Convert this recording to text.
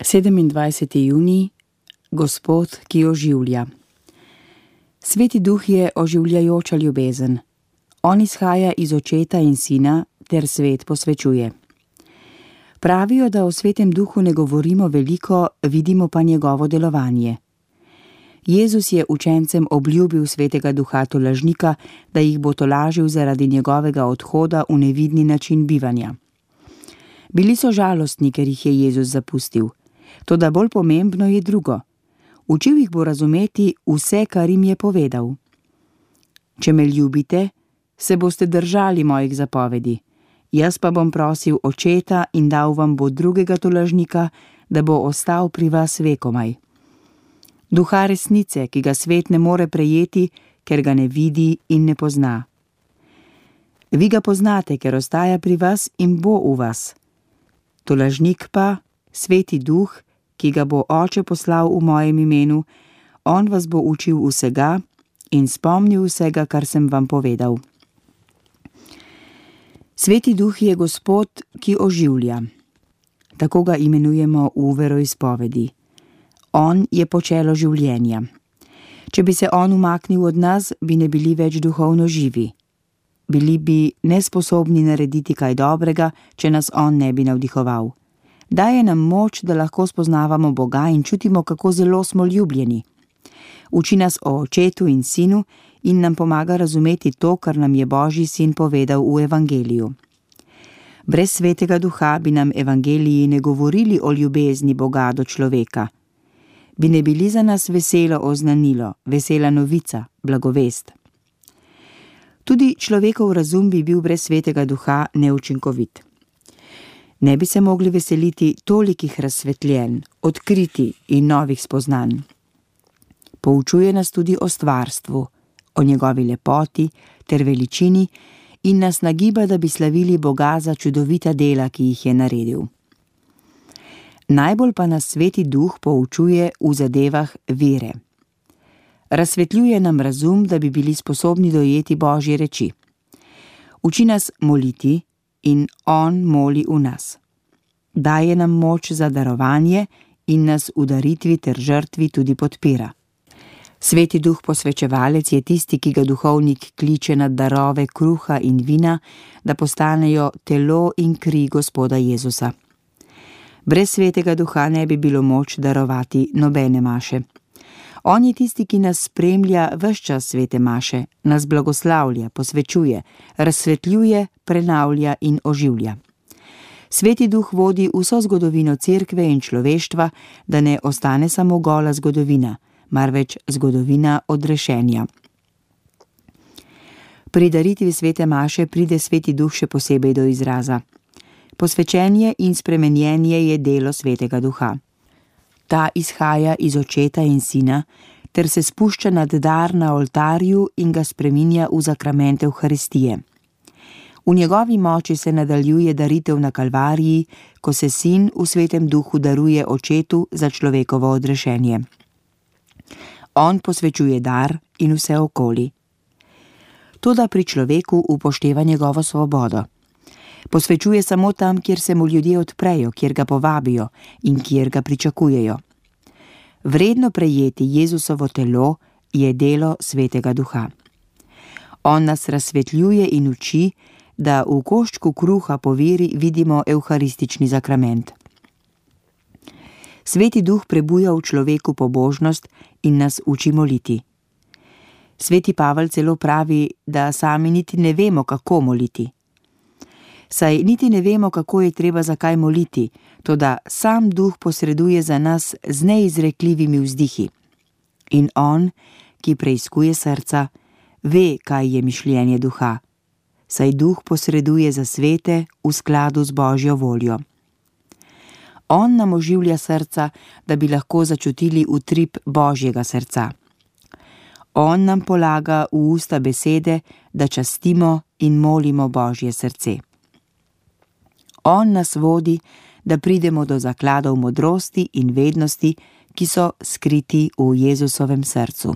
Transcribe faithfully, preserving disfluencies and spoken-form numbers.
sedemindvajseti junij, Gospod, ki oživlja. Sveti Duh je oživljajoča ljubezen. On izhaja iz Očeta in Sina ter svet posvečuje. Pravijo, da o Svetem Duhu ne govorimo veliko, vidimo pa njegovo delovanje. Jezus je učencem obljubil Svetega Duha tolažnika, da jih bo tolažil zaradi njegovega odhoda v nevidni način bivanja. Bili so žalostni, ker jih je Jezus zapustil. Toda bolj pomembno je drugo. Učil jih bo razumeti vse, kar jim je povedal. Če me ljubite, se boste držali mojih zapovedi. Jaz pa bom prosil Očeta in dal vam bo drugega tolažnika, da bo ostal pri vas vekomaj. Duha resnice, ki ga svet ne more prejeti, ker ga ne vidi in ne pozna. Vi ga poznate, ker ostaja pri vas in bo v vas. Tolažnik pa, Sveti Duh, ki ga bo Oče poslal v mojem imenu, on vas bo učil vsega in spomnil vsega, kar sem vam povedal. Sveti Duh je Gospod, ki oživlja. Tako ga imenujemo v veroizpovedi. On je počelo življenja. Če bi se on umaknil od nas, bi ne bili več duhovno živi. Bili bi nesposobni narediti kaj dobrega, če nas on ne bi navdihoval. Daje nam moč, da lahko spoznavamo Boga in čutimo, kako zelo smo ljubljeni. Uči nas o Očetu in Sinu in nam pomaga razumeti to, kar nam je Božji Sin povedal v Evangeliju. Brez Svetega Duha bi nam Evangeliji ne govorili o ljubezni Boga do človeka. Bi ne bili za nas veselo oznanilo, vesela novica, blagovest. Tudi človekov razum bi bil brez Svetega Duha neučinkovit. Ne bi se mogli veseliti tolikih razsvetljenj, odkriti in novih spoznanj. Poučuje nas tudi o stvarstvu, o njegovi lepoti ter veličini in nas nagiba, da bi slavili Boga za čudovita dela, ki jih je naredil. Najbolj pa nas Sveti Duh poučuje v zadevah vere. Razsvetljuje nam razum, da bi bili sposobni dojeti Božje reči. Uči nas moliti in on moli v nas. Daje nam moč za darovanje in nas v daritvi ter žrtvi tudi podpira. Sveti Duh posvečevalec je tisti, ki ga duhovnik kliče na darove kruha in vina, da postanejo telo in kri Gospoda Jezusa. Brez Svetega Duha ne bi bilo moč darovati nobene maše. On je tisti, ki nas spremlja ves čas svete maše, nas blagoslavlja, posvečuje, razsvetljuje, prenavlja in oživlja. Sveti Duh vodi vso zgodovino cerkve in človeštva, da ne ostane samo gola zgodovina, marveč zgodovina odrešenja. Pri daritvi svete maše pride Sveti Duh še posebej do izraza. Posvečenje in spremenjenje je delo Svetega Duha. Ta izhaja iz Očeta in Sina, ter se spušča nad dar na oltarju in ga spreminja v zakrament Evharistije. V njegovi moči se nadaljuje daritev na Kalvariji, ko se Sin v Svetem Duhu daruje Očetu za človekovo odrešenje. On posvečuje dar in vse okoli. Toda pri človeku upošteva njegovo svobodo. Posvečuje samo tam, kjer se mu ljudje odprejo, kjer ga povabijo in kjer ga pričakujejo. Vredno prejeti Jezusovo telo je delo Svetega Duha. On nas razsvetljuje in uči, da v koščku kruha po veri vidimo evharistični zakrament. Sveti Duh prebuja v človeku pobožnost in nas uči moliti. Sveti Pavel celo pravi, da sami niti ne vemo, kako moliti. Saj niti ne vemo, kako je treba zakaj moliti, toda sam Duh posreduje za nas z neizrekljivimi vzdihi. In on, ki preiskuje srca, ve, kaj je mišljenje Duha, saj Duh posreduje za svete v skladu z Božjo voljo. On nam oživlja srca, da bi lahko začutili utrip Božjega srca. On nam polaga v usta besede, da častimo in molimo Božje srce. On nas vodi, da pridemo do zakladov modrosti in vednosti, ki so skriti v Jezusovem srcu.